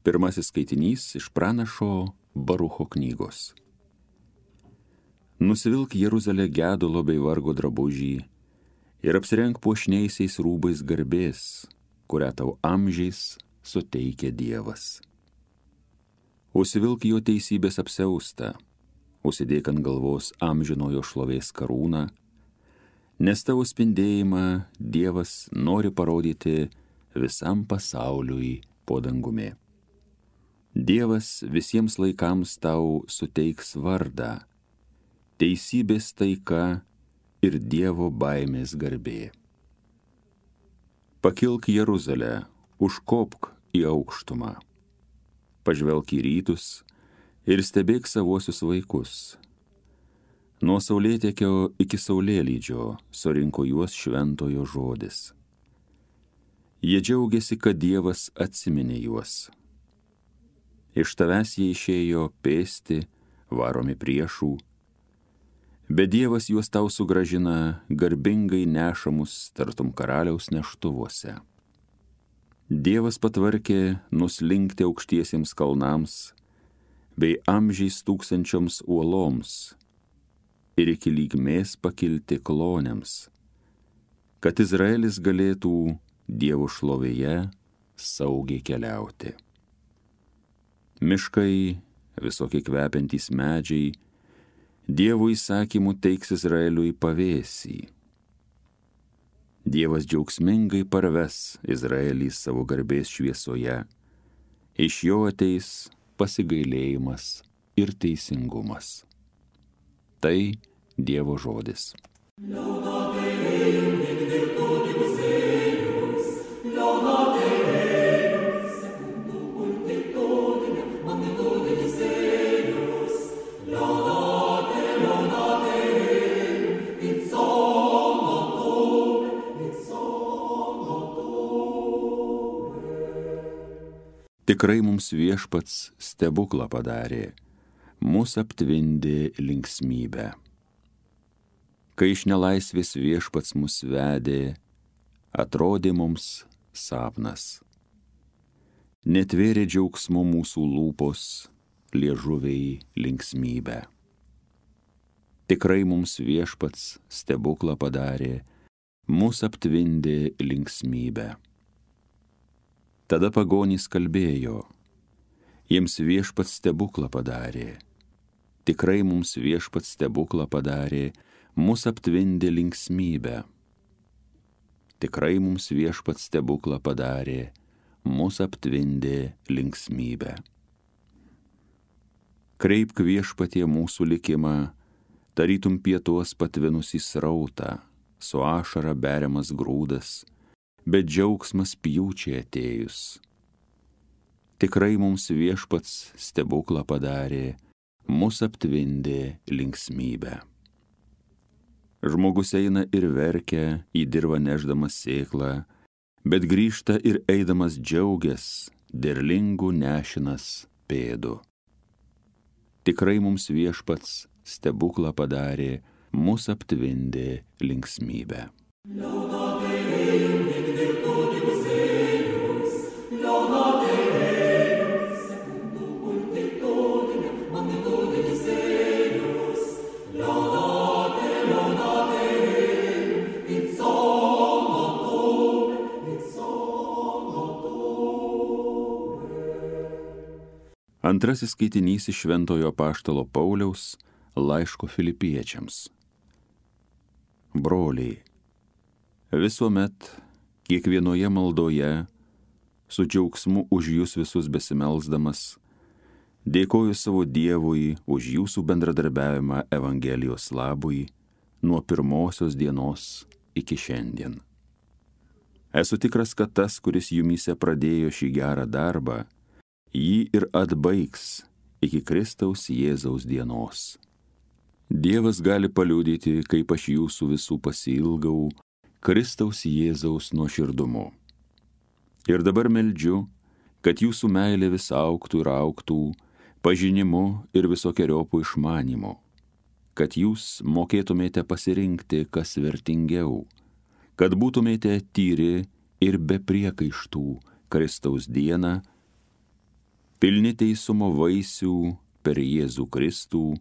Pirmasis skaitinys iš pranašo Barucho knygos. Nusivilk Jeruzalę gedulo bei vargo drabužį ir apsirenk puošniaisiais rūbais garbės, kurią tau amžiais suteikia Dievas. Užsivilk jo teisybės apsiaustą, užsidėk ant galvos amžinojo šlovės karūną, nes tavo spindėjimą Dievas nori parodyti visam pasauliui po dangumi. Dievas visiems laikams tau suteiks vardą, teisybės taika ir Dievo baimės garbė. Pakilk Jeruzalę, užkopk į aukštumą, pažvelk į rytus ir stebėk savuosius vaikus. Nuo saulėtekio iki saulėlydžio surinko juos šventojo žodis. Jie džiaugiasi, kad Dievas atsiminė juos. Iš tavęs jie išėjo pėsti, varomi priešų, bet Dievas juos tau sugrąžina garbingai nešamus tartum karaliaus neštuvuose. Dievas patvarkė nuslinkti aukštiesiems kalnams bei amžiais tūkstančioms uoloms ir iki lygmės pakilti klonėms, kad Izraelis galėtų Dievo šlovėje saugiai keliauti. Miškai, visokie kvepiantys medžiai, Dievo įsakymų teiks Izraeliui pavėsį. Dievas džiaugsmingai parves Izraelį savo garbės šviesoje, iš jo ateis pasigailėjimas ir teisingumas. Tai Dievo žodis. Tikrai mums Viešpats stebuklą padarė, mus aptvindė linksmybę. Kai iš nelaisvės Viešpats mus vedė, atrodė mums sapnas. Netvėrė džiaugsmo mūsų lūpos, liežuviai linksmybę. Tikrai mums Viešpats stebuklą padarė, mus aptvindė linksmybę. Tada pagonys kalbėjo, jiems Viešpats stebuklą padarė. Tikrai mums Viešpats stebuklą padarė, mus aptvindė linksmybę. Tikrai mums Viešpats stebuklą padarė, mus aptvindė linksmybę. Kreipk Viešpatie mūsų likimą, tarytum pietuos patvinusį srautą, su ašara beriamas grūdas, bet džiaugsmas pjūčiai atėjus. Tikrai mums Viešpats stebuklą padarė, mus aptvindė linksmybę. Žmogus eina ir verkia, į dirvą nešdamas sėklą, bet grįžta ir eidamas džiaugias, derlingų nešinas pėdų. Tikrai mums Viešpats stebuklą padarė, mus aptvindė linksmybę. Antrasis skaitinys iš Šventojo apaštalo Pauliaus laiško Filipiečiams. Broliai, visuomet, kiekvienoje maldoje, su džiaugsmu už jūs visus besimelsdamas, dėkoju savo Dievui už jūsų bendradarbiavimą Evangelijos labui nuo pirmosios dienos iki šiandien. Esu tikras, kad tas, kuris jumyse pradėjo šį gerą darbą, jį ir atbaigs iki Kristaus Jėzaus dienos. Dievas gali paliudyti, kaip aš jūsų visų pasiilgau Kristaus Jėzaus nuoširdumu. Ir dabar meldžiu, kad jūsų meilė vis augtų ir augtų, pažinimu ir visokeriopų išmanymu, kad jūs mokėtumėte pasirinkti, kas vertingiau, kad būtumėte tyri ir be priekaištų Kristaus dieną, pilni teisumo vaisių per Jėzų Kristų,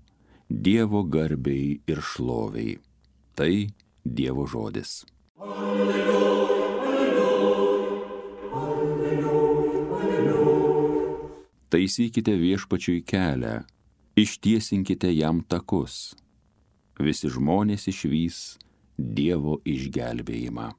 Dievo garbei ir šloviai. Tai Dievo žodis. Taisykite viešpačiui kelią, ištiesinkite jam takus. Visi žmonės išvys Dievo išgelbėjimą.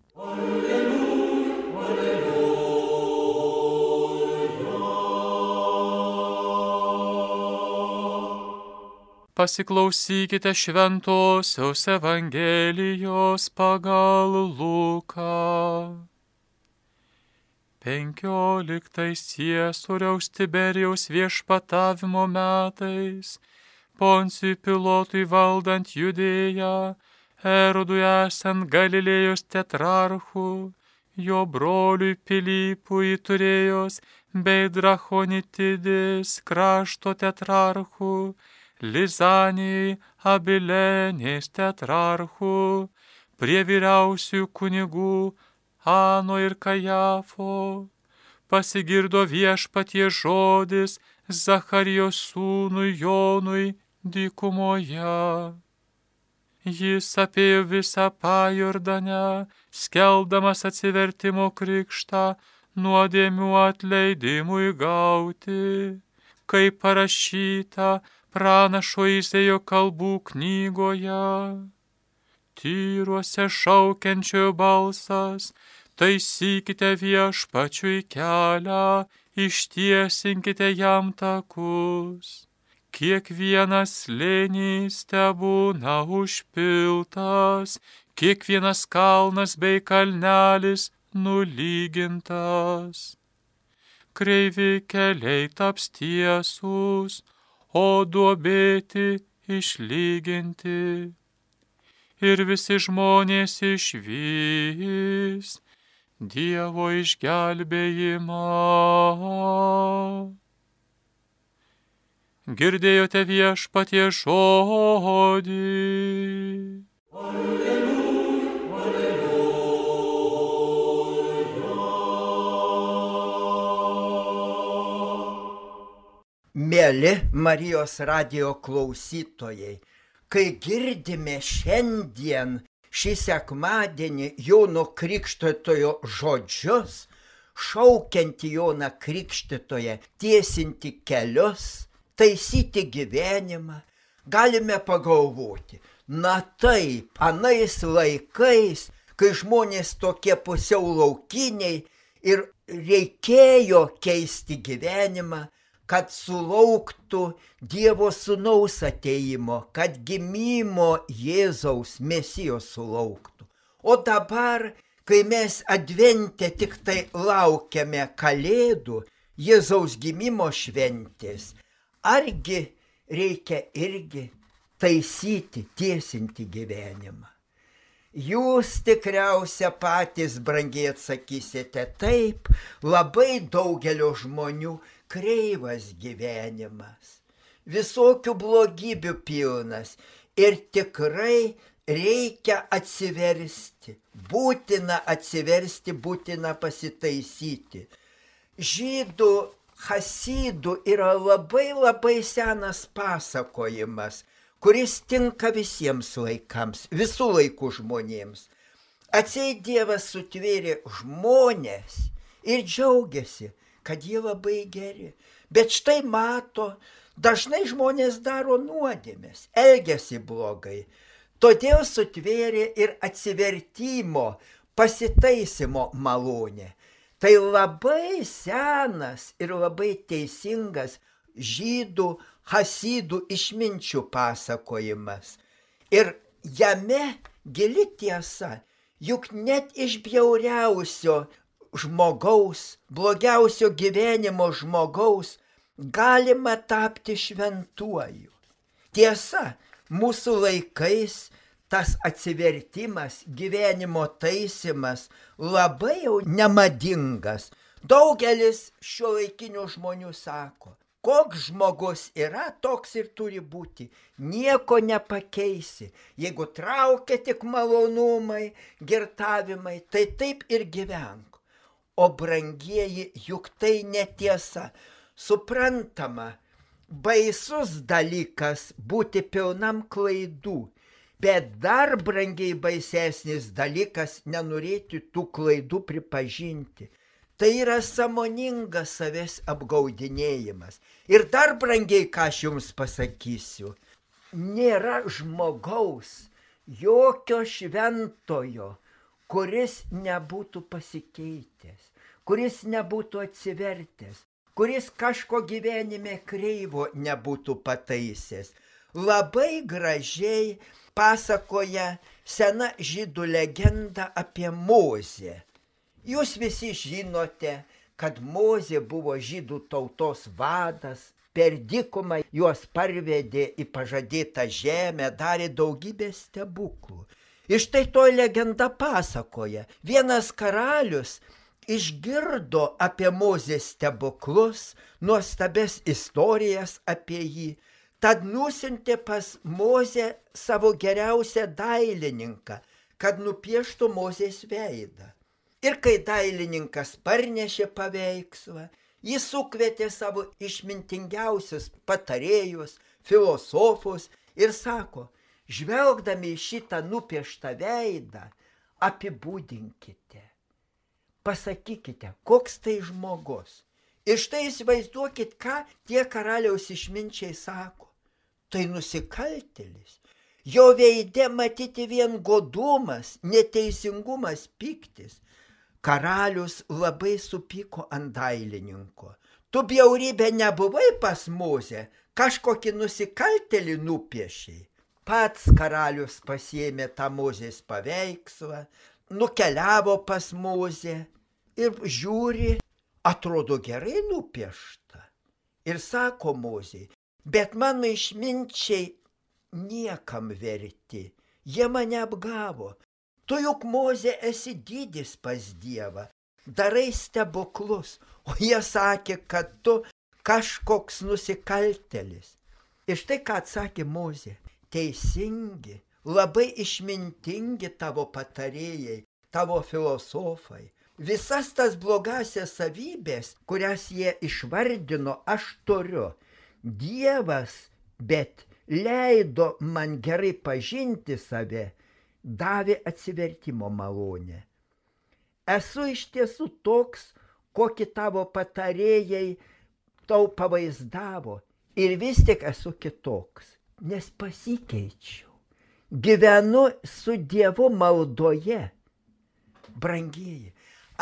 Pasiklausykite šventosios Evangelijos pagal Luką. 15 Ciesoriaus Tiberijaus viešpatavimo metais, Poncijui Pilotui valdant Judėją, Erodui esant Galilėjos tetrarchu, jo broliui Pilypui Turėjos bei Drachonitidės krašto tetrarchu, Lizanijai Abilenės tetrarchu, prie vyriausiųjų kunigų Ano ir Kajafo, pasigirdo viešpatie žodis Zacharijos sūnui Jonui dykumoje. Jis apėjo visą Pajordanę, skelbdamas atsivertimo krikštą nuodėmių atleidimui gauti, kaip parašyta pranašo Izaijo kalbų knygoje. Tyruose šaukiančiojo balsas, taisykite viešpačiui kelią, ištiesinkite jam takus. Kiekvienas slėnys tebūna užpiltas, kiekvienas kalnas bei kalnelis nulygintas. Kreivi keliai taps tiesūs, o duobėti išlyginti. Ir visi žmonės išvys Dievo išgelbėjimą. Girdėjote viešpatie žodį. Mieli Marijos radijo klausytojai, kai girdime šiandien šį sekmadienį Jono Krikštytojo žodžius, šaukiantį Joną Krikštytoją tiesinti kelius, taisyti gyvenimą, galime pagalvoti, na taip, anais laikais, kai žmonės tokie pusiau laukiniai ir reikėjo keisti gyvenimą, kad sulauktų Dievo sūnaus ateimo, kad gimimo Jėzaus Mesijos sulauktų. O dabar, kai mes advente tik tai laukiame Kalėdų, Jėzaus gimimo šventės, argi reikia irgi taisyti, tiesinti gyvenimą? Jūs tikriausia patys brangiai atsakysite, taip, labai daugelio žmonių kreivas gyvenimas, visokių blogybių pilnas ir tikrai reikia atsiversti, būtina pasitaisyti. Žydų chasidų yra labai senas pasakojimas, kuris tinka visiems laikams, visų laikų žmonėms. Atseit Dievas sutvėrė žmonės ir džiaugiasi, kad jie labai geri. Bet štai mato, dažnai žmonės daro nuodėmes, elgiasi blogai. Todėl sutvėrė ir atsivertimo, pasitaisimo malonę. Tai labai senas ir labai teisingas žydų chasidų išminčių pasakojimas. Ir jame gili tiesa, juk net iš bjauriausio žmogaus, blogiausio gyvenimo žmogaus galima tapti šventuoju. Tiesa, mūsų laikais tas atsivertimas, gyvenimo taisimas labai jau nemadingas. Daugelis šiuolaikinių žmonių sako, koks žmogus yra, toks ir turi būti. Nieko nepakeisi. Jeigu traukia tik malonumai, girtavimai, tai taip ir gyvenk. O brangieji, juk tai netiesa. Suprantama, baisus dalykas būti pilnam klaidų, bet dar brangiai baisesnis dalykas nenorėti tų klaidų pripažinti. Tai yra sąmoningas savęs apgaudinėjimas. Ir dar brangiai, ką aš jums pasakysiu, nėra žmogaus, jokio šventojo, kuris nebūtų pasikeitęs, kuris nebūtų atsivertęs, kuris kažko gyvenime kreivo nebūtų pataisęs. Labai gražiai pasakoja sena žydų legenda apie Mozę. Jūs visi žinote, kad Mozė buvo žydų tautos vadas, per dykumą juos parvedė į pažadėtą žemę, darė daugybę stebuklų. Ir štai to legenda pasakoja. Vienas karalius išgirdo apie Mozės stebuklus, nuostabes istorijas apie jį, tad nusiuntė pas Mozę savo geriausią dailininką, kad nupieštų Mozės veidą. Ir kai dailininkas parnešė paveikslą, jis sukvietė savo išmintingiausius patarėjus, filosofus ir sako, žvelgdami į šitą nupieštą veidą, apibūdinkite, pasakykite, koks tai žmogus. Ir štai įsivaizduokit, ką tie karaliaus išminčiai sako. Tai nusikaltėlis. Jo veide matyti vien godumas, neteisingumas, pyktis. Karalius labai supyko ant dailininko. Tu bjaurybė nebuvai pas Mozę, kažkokį nusikaltėlį nupiešiai. Pats karalius pasiėmė tą Mozės paveikslą, nukeliavo pas Mozę ir žiūri, atrodo gerai nupiešta. Ir sako Mozei, bet mano išminčiai niekam verti, jie mane apgavo. Tu juk, Mozė, esi didis pas Dievą, darai stebuklus, o jie sakė, kad tu kažkoks nusikaltėlis. Ir štai ką atsakė Mozė, teisingi, labai išmintingi tavo patarėjai, tavo filosofai. Visas tas blogasias savybės, kurias jie išvardino, aš turiu. Dievas, bet leido man gerai pažinti save, davė atsivertimo malonę. Esu iš tiesų toks, kokį tavo patarėjai tau pavaizdavo, ir vis tik esu kitoks, nes pasikeičiau. Gyvenu su Dievu maldoje. Brangieji,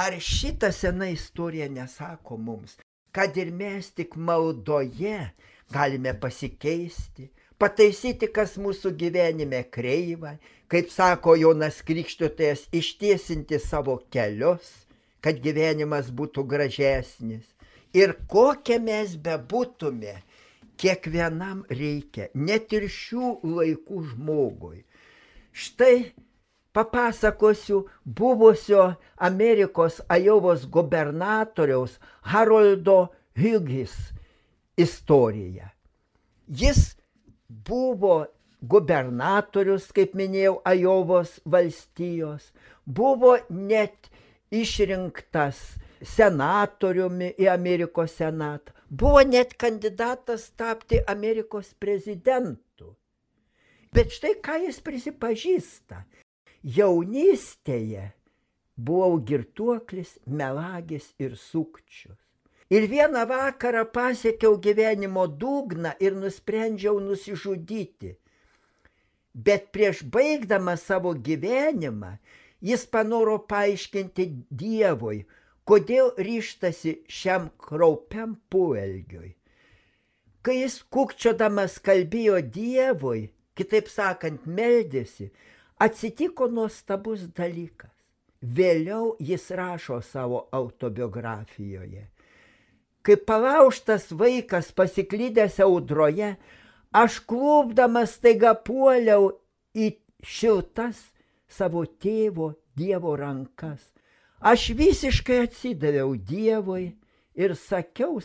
ar šita sena istorija nesako mums, kad ir mes tik maldoje galime pasikeisti, pataisyti, kas mūsų gyvenime kreiva, kaip sako Jonas Krikštytojas, ištiesinti savo kelius, kad gyvenimas būtų gražesnis. Ir kokie mes bebūtume, kiekvienam reikia, net ir šių laikų žmogui. Štai papasakosiu buvusio Amerikos Ajovos gubernatoriaus Haroldo Hughes istoriją. Jis buvo gubernatorius, kaip minėjau, Ajovos valstijos, buvo net išrinktas senatoriumi į Amerikos senatą, buvo net kandidatas tapti Amerikos prezidentu. Bet štai ką jis prisipažįsta. Jaunystėje buvau girtuoklis, melagis ir sukčius. Ir vieną vakarą pasiekiau gyvenimo dugną ir nusprendžiau nusižudyti. Bet prieš baigdamas savo gyvenimą, jis panoro paaiškinti Dievui, kodėl ryžtasi šiam kraupiam poelgiui. Kai jis kukčiodamas kalbėjo Dievui, kitaip sakant, meldėsi, atsitiko nuostabus dalykas. Vėliau jis rašo savo autobiografijoje. Kaip palaužtas vaikas pasiklydęs audroje, aš klūpdamas staiga puoliau į šiltas savo tėvo Dievo rankas. Aš visiškai atsidaviau Dievui ir sakiau,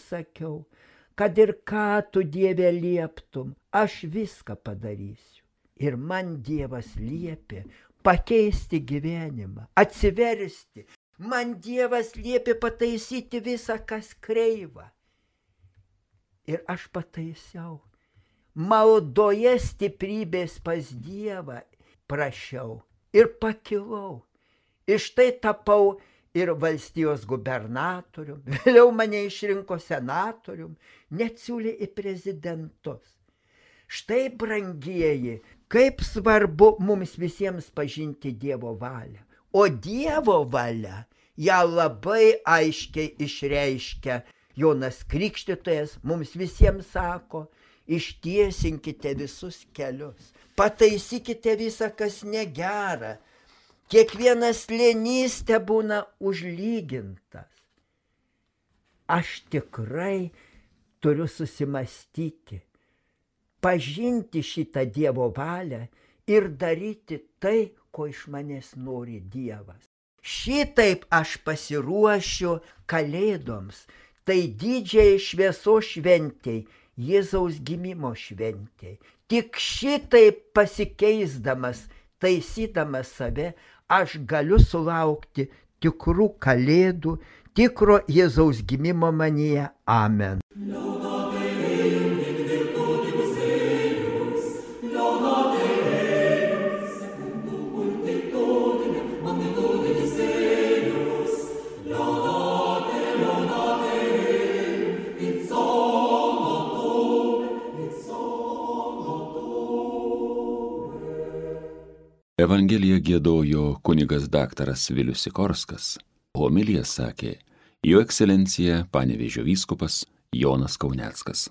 kad ir ką tu, Dieve, lieptum, aš viską padarysiu. Ir man Dievas liepė pakeisti gyvenimą, atsiversti. Man Dievas liepė pataisyti visą, kas kreiva. Ir aš pataisiau. Maldoje stiprybės pas Dievą prašiau ir pakilau. Iš tai tapau ir valstijos gubernatorium, vėliau mane išrinko senatorium, net siūlė į prezidentus. Štai, brangieji, kaip svarbu mums visiems pažinti Dievo valią. O Dievo valia ją labai aiškiai išreiškia. Jonas Krikštytojas mums visiems sako, ištiesinkite visus kelius, pataisykite visą, kas negera. Kiekvienas slėnys tebūna užlygintas. Aš tikrai turiu susimastyti, pažinti šitą Dievo valią ir daryti tai, ko iš manęs nori Dievas. Šitaip aš pasiruošiu Kalėdoms, tai didžiai šviesos šventei, Jėzaus gimimo šventei. Tik šitaip pasikeisdamas, taisydamas save, aš galiu sulaukti tikrų Kalėdų, tikro Jėzaus gimimo manyje. Amen. Evangeliją giedojo kunigas daktaras Vilius Sikorskas, homiliją sakė Jo ekscelencija Panevėžio vyskupas Jonas Kauneckas.